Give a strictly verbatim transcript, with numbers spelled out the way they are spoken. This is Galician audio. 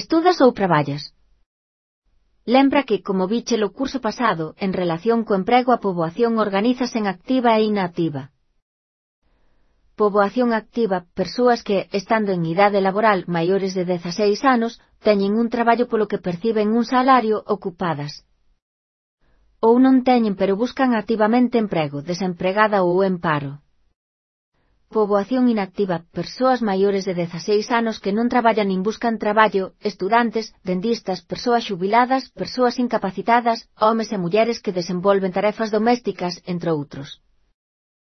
Estudas ou traballas? Lembra que, como viche o curso pasado, en relación co emprego a poboación organízase en activa e inactiva. Poboación activa, persoas que, estando en idade laboral maiores de dezaseis anos, teñen un traballo polo que perciben un salario ocupadas. Ou non teñen pero buscan activamente emprego, desempregada ou en paro. Poboación inactiva, persoas maiores de dezaseis anos que non traballan nin buscan traballo, estudantes, dentistas, persoas xubiladas, persoas incapacitadas, homes e mulleres que desenvolven tarefas domésticas, entre outros.